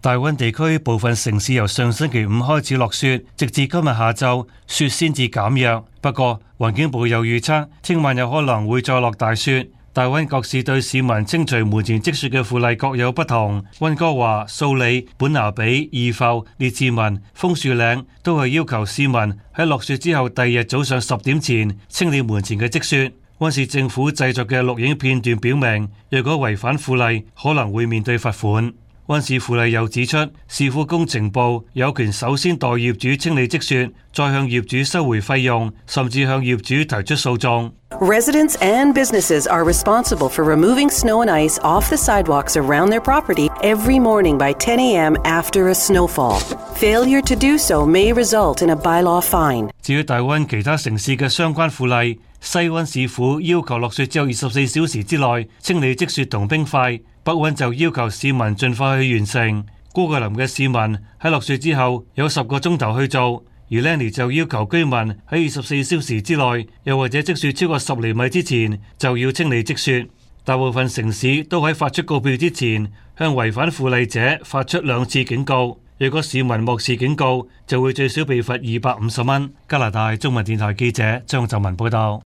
大溫地區部分城市由上星期五開始落雪，直至今日下晝，雪先至減弱。不過，環境部又預測，聽晚有可能會再落大雪。大溫各市對市民清除門前積雪嘅附例各有不同。溫哥華、素里、本拿比、義埠、列治文、楓樹嶺都係要求市民喺落雪之後第二日早上10點前清理門前嘅積雪。溫市政府製作嘅錄影片段表明，若果違反附例，可能會面對罰款。溫市附例又指出，市府工程部有權首先代業主清理積雪，再向業主收回費用，甚至向業主提出訴訟。Residents and businesses are responsible for removing snow and ice off the sidewalks around their property every morning by 10 a.m. after a snowfall. Failure to do so may result in a bylaw fine. 至於大溫其他城市嘅相關附例，西溫市府要求落雪之後24小時之內清理積雪同冰塊，北溫就要求市民盡快去完成。姑葛林嘅市民喺落雪之後有10個鐘頭去做，而 Lenny 就要求居民喺24小時之內，又或者積雪超過10厘米之前就要清理積雪。大部分城市都喺發出告票之前向違反附例者發出2次警告。若果市民漠視警告，就會最少被罰250蚊。加拿大中文電台記者張澤文報道。